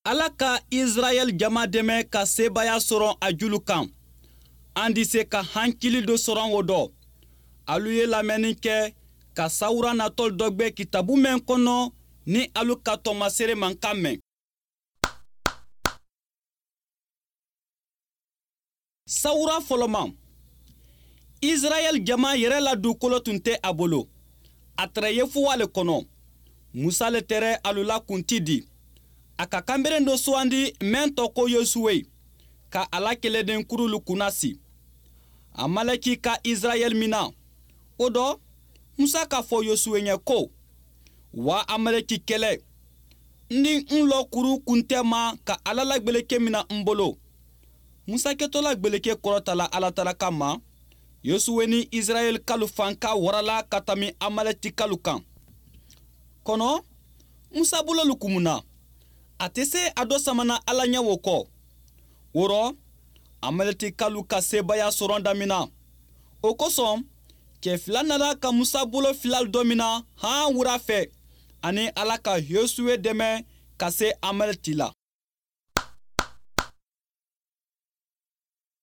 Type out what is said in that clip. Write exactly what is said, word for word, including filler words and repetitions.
Ala ka Israɛl jama dɛmɛ ka sebaaya sɔrɔ a julu kan. An di se ka hankili dɔ sɔrɔ o dɔ. Alu ye lamɛnni kɛ ka sawura natɔ dɔ gbɛ kitabu mɛn kɔnɔ ni alu ka tɔmasere mankan mɛn. Sawura fɔlɔman. Israɛl jama yɛrɛ la dugukolo tun tɛ a bolo. A tɛrɛ ye fuwa le kɔnɔ. Musa le tɛrɛ alu la kunti di. A ka kanberen dɔ sugandi mɛn tɔ ko Yosuwe ka a la kɛlɛden kurulu kunnasi. Amaleki ka Israɛl mina. O dɔ, Musa k'a fɔ Yosuwe ɲɛ ko, wa Amaleki kɛlɛ. Ni n lɔ kuru kun tɛ ma ka Ala la gbeleke mina n bolo. Musa kɛtɔla gbeleke kɔrɔtala Ala tala kama, Yosuwe ni Israɛl kalu fanka warala ka tami Amaleki kalu kan. Kɔnɔ, Musa bololu kumuna. A tɛ se a dɔ samana Ala ɲɛ o kɔ. O rɔ, Amaleki kalu ka sebaaya sɔrɔ damina. O kosɔn, cɛ fila nana ka Musa bolo fila dɔ mina han wura fɛ ani Ala ka Yosuwe dɛmɛ ka se Amaleki la.